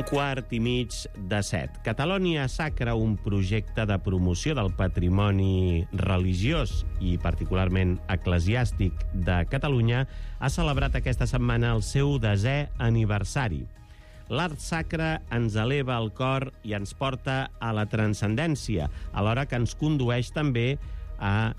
7:15. Catalonia Sacra, un projecte de promoció del patrimoni religiós i particularment eclesiàstic de Catalunya, ha celebrat aquesta setmana el seu 10è aniversari. L'art sacre ens eleva el cor i ens porta a la transcendència, alhora que ens condueix també a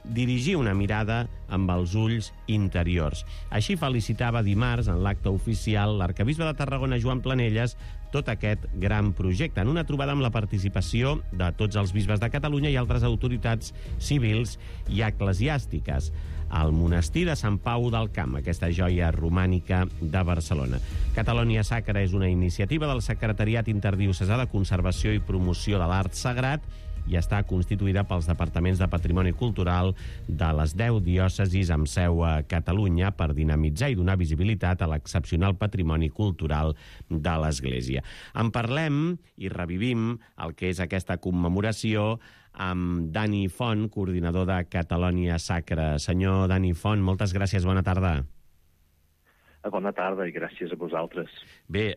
dirigir una mirada amb els ulls interiors. Així felicitava dimarts, en l'acte oficial, l'arquebisbe de Tarragona, Joan Planelles, tot aquest gran projecte, en una trobada amb la participació de tots els bisbes de Catalunya i altres autoritats civils i eclesiàstiques, al monestir de Sant Pau del Camp, aquesta joia romànica de Barcelona. Catalonia Sacra és una iniciativa del Secretariat Interdiocesà de Conservació i Promoció de l'Art Sagrat i està constituïda pels departaments de Patrimoni Cultural de les 10 diòcesis amb seu a Catalunya per dinamitzar i donar visibilitat a l'excepcional patrimoni cultural de l'Església. En parlem i revivim el que és aquesta commemoració amb Dani Font, coordinador de Catalonia Sacra. Senyor Dani Font, moltes gràcies, bona tarda. Bona tarda i gràcies a vosaltres. Bé,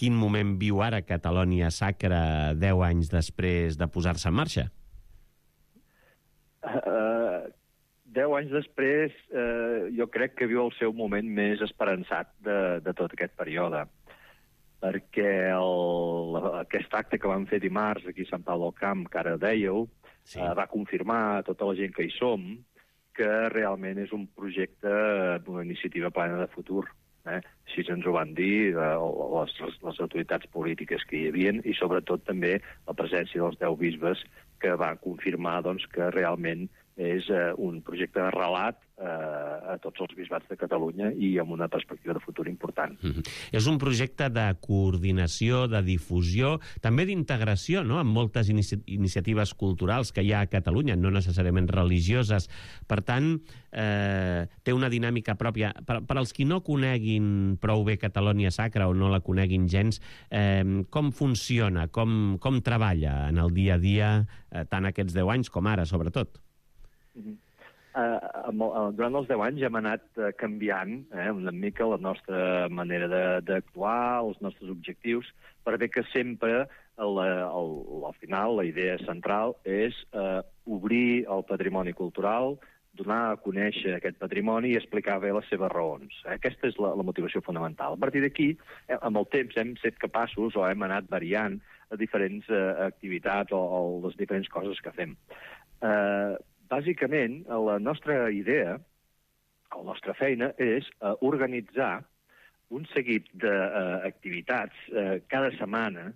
quin moment viu ara Catalonia Sacra 10 anys després de posar-se en marxa? 10 anys després jo crec que viu el seu moment més esperançat de tot aquest període, perquè aquest acte que vam fer dimarts aquí a Sant Pau del Camp, que ara dèieu, sí, va confirmar a tota la gent que hi som que realment és un projecte d'una iniciativa plena de futur. Així ens ho van dir les autoritats polítiques que hi havia i sobretot també la presència dels 10 bisbes que van confirmar que realment és un projecte de relat a tots els bisbats de Catalunya i amb una perspectiva de futur important. És un projecte de coordinació, de difusió, també d'integració, no?, amb moltes iniciatives culturals que hi ha a Catalunya, no necessàriament religioses. Per tant, té una dinàmica pròpia. Per als qui no coneguin prou bé Catalonia Sacra o no la coneguin gens, com funciona, com treballa en el dia a dia, tant aquests 10 anys com ara, sobretot? Durant els 10 anys hem anat canviant una mica la nostra manera d'actuar, els nostres objectius, per bé que sempre, al final, la idea central és obrir el patrimoni cultural, donar a conèixer aquest patrimoni i explicar bé les seves raons. Aquesta és la motivació fonamental. A partir d'aquí, amb el temps hem estat capaços o hem anat variant a diferents activitats o les diferents coses que fem. Bàsicament, la nostra idea, la nostra feina, és organitzar un seguit d'activitats cada setmana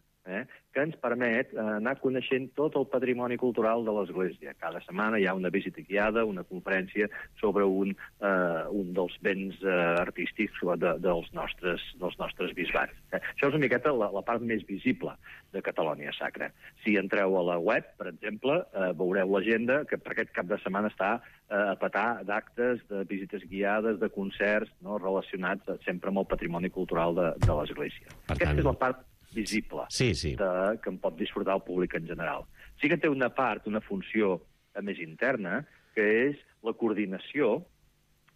que ens permet anar coneixent tot el patrimoni cultural de l'Església. Cada setmana hi ha una visita guiada, una conferència sobre un dels béns artístics dels nostres bisbats. Això és una miqueta la part més visible de Catalonia Sacra. Si entreu a la web, per exemple, veureu l'agenda que per aquest cap de setmana està a petar d'actes, de visites guiades, de concerts relacionats sempre amb el patrimoni cultural de l'Església. Aquesta és la part visible, sí. Que en pot disfrutar el públic en general. Sí que té una part, una funció més interna, que és la coordinació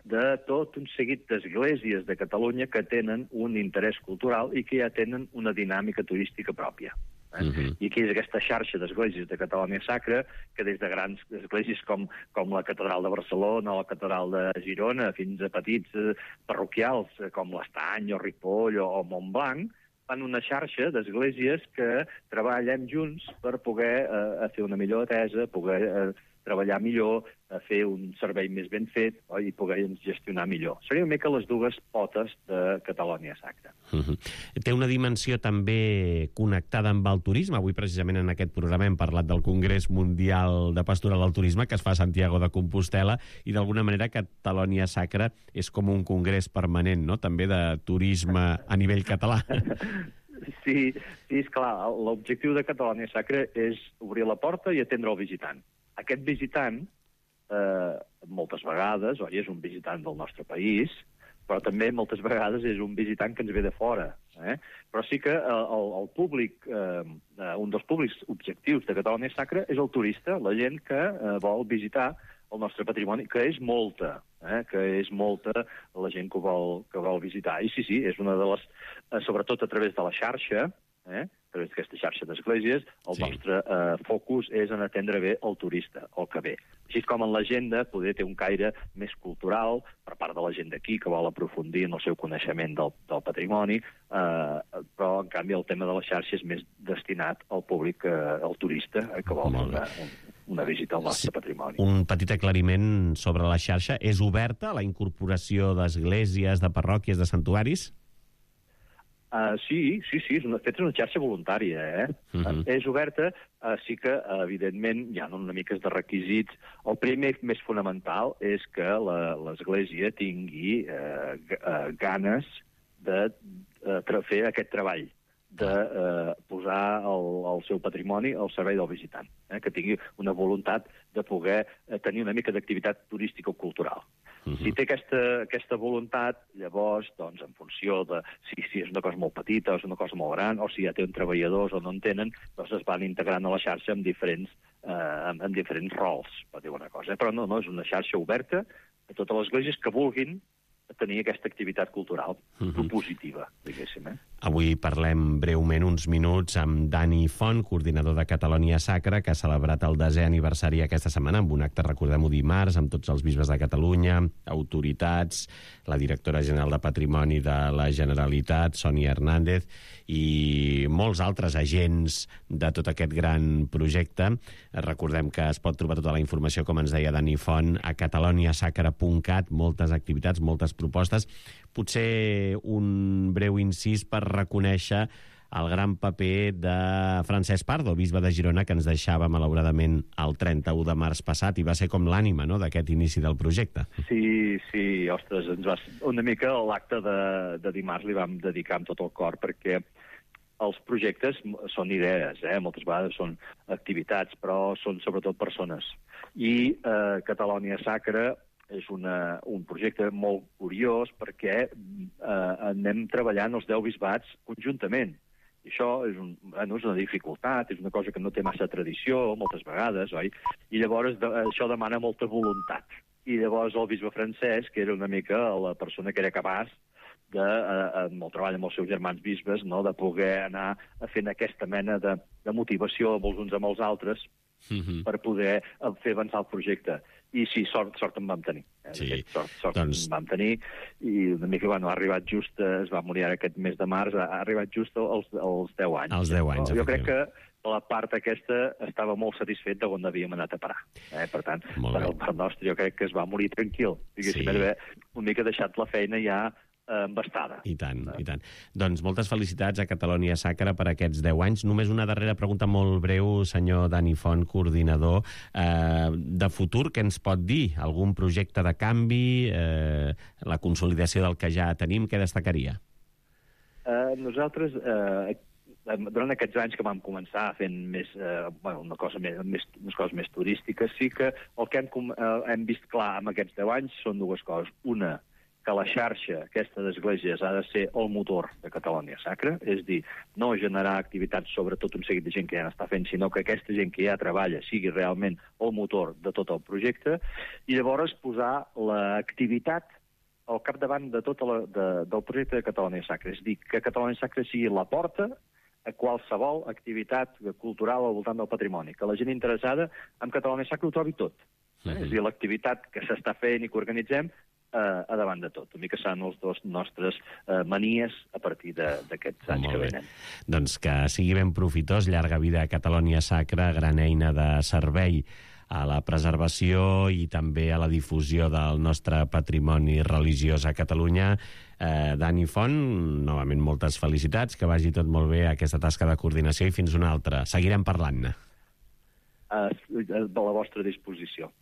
de tot un seguit d'esglésies de Catalunya que tenen un interès cultural i que ja tenen una dinàmica turística pròpia. I aquí és aquesta xarxa d'esglésies de Catalonia Sacra, que des de grans esglésies com la Catedral de Barcelona o la Catedral de Girona, fins a petits parroquials com l'Estany o Ripoll o Montblanc, fan una xarxa d'esglésies que treballem junts per poder fer una millor atesa, poder treballar millor, fer un servei més ben fet i poder gestionar millor. Seria una mica les dues potes de Catalonia Sacra. Té una dimensió també connectada amb el turisme. Avui, precisament, en aquest programa hem parlat del Congrés Mundial de Pastoral del Turisme que es fa a Santiago de Compostela i, d'alguna manera, Catalonia Sacra és com un congrés permanent, no?, també de turisme a nivell català. Sí, és clar. L'objectiu de Catalonia Sacra és obrir la porta i atendre el visitant. Aquest visitant, moltes vegades, és un visitant del nostre país, però també moltes vegades és un visitant que ens ve de fora. Però sí que el públic, un dels públics objectius de Catalonia Sacra és el turista, la gent que vol visitar el nostre patrimoni, que és molta, la gent que vol visitar. I sí, és una de les... sobretot a través de la xarxa, a través d'aquesta xarxa d'esglésies, el nostre focus és en atendre bé el turista, el que ve. Així com en l'agenda poder té un caire més cultural per part de la gent d'aquí que vol aprofundir en el seu coneixement del patrimoni, però en canvi el tema de la xarxa és més destinat al públic, al turista, que vol una visita al nostre patrimoni. Un petit aclariment sobre la xarxa. És oberta la incorporació d'esglésies, de parròquies, de santuaris? Sí, és una xarxa voluntària, És oberta, sí que, evidentment, hi ha una mica de requisits. El primer, més fonamental, és que l'Església tingui ganes de fer aquest treball, de posar el seu patrimoni al servei del visitant, que tingui una voluntat de poder tenir una mica d'activitat turística o cultural. Si té aquesta voluntat, llavors, doncs, en funció de si és una cosa molt petita o és una cosa molt gran, o si ja tenen treballadors o no en tenen, doncs es van integrant a la xarxa amb diferents rols, per dir una cosa. Però no, és una xarxa oberta a totes les esglésies que vulguin tenir aquesta activitat cultural propositiva, diguéssim. Avui parlem breument uns minuts amb Dani Font, coordinador de Catalonia Sacra, que ha celebrat el 10è aniversari aquesta setmana amb un acte, recordem-ho, dimarts, amb tots els bisbes de Catalunya, autoritats, la directora general de Patrimoni de la Generalitat, Sònia Hernández, i molts altres agents de tot aquest gran projecte. Recordem que es pot trobar tota la informació, com ens deia Dani Font, a cataloniasacra.cat, moltes activitats, moltes propostes. Potser un breu incís per reconèixer el gran paper de Francesc Pardo, bisbe de Girona, que ens deixava malauradament el 31 de març passat i va ser com l'ànima, no?, d'aquest inici del projecte. Sí, ostres, una mica l'acte de dimarts li vam dedicar amb tot el cor, perquè els projectes són idees, moltes vegades són activitats, però són sobretot persones. I Catalonia Sacra és un projecte molt curiós perquè anem treballant els 10 bisbats conjuntament. I això és una dificultat, és una cosa que no té massa tradició moltes vegades, oi? I llavors això demana molta voluntat. I llavors el bisbe Francesc, que era una mica la persona que era capaç amb el treball amb els seus germans bisbes, de poder anar fent aquesta mena de motivació els uns amb els altres per poder fer avançar el projecte. I sí, sort en vam tenir. Sort en vam tenir, i una mica, ha arribat just, es va morir aquest mes de març, ha arribat just als 10 anys. Als 10 anys, jo crec que la part aquesta estava molt satisfet d'on havíem anat a parar. Per tant, per el part nostre, jo crec que es va morir tranquil. Diguéssim, d'haver una mica deixat la feina ja embastada. I tant. Doncs moltes felicitats a Catalonia Sacra per aquests 10 anys. Només una darrera pregunta molt breu, senyor Dani Font, coordinador. De futur, què ens pot dir? Algun projecte de canvi? La consolidació del que ja tenim, què destacaria? Nosaltres, durant aquests anys que vam començar fent unes coses més turístiques, sí que el que hem vist clar en aquests 10 anys són dues coses. Una, que la xarxa aquesta d'esglésies ha de ser el motor de Catalonia Sacra, és dir, no generar activitats sobre tot un seguit de gent que ja n'està fent, sinó que aquesta gent que ja treballa sigui realment el motor de tot el projecte, i llavors posar l'activitat al capdavant de del projecte de Catalonia Sacra. És dir, que Catalonia Sacra sigui la porta a qualsevol activitat cultural al voltant del patrimoni, que la gent interessada en Catalonia Sacra ho trobi tot. És dir, l'activitat que s'està fent i que organitzem a davant de tot. Una mica seran els dos nostres manies a partir d'aquests anys que venen. Doncs que sigui ben profitós, llarga vida a Catalonia Sacra, gran eina de servei a la preservació i també a la difusió del nostre patrimoni religiós a Catalunya. Dani Font, novament moltes felicitats, que vagi tot molt bé aquesta tasca de coordinació i fins una altra. Seguirem parlant-ne. A la vostra disposició.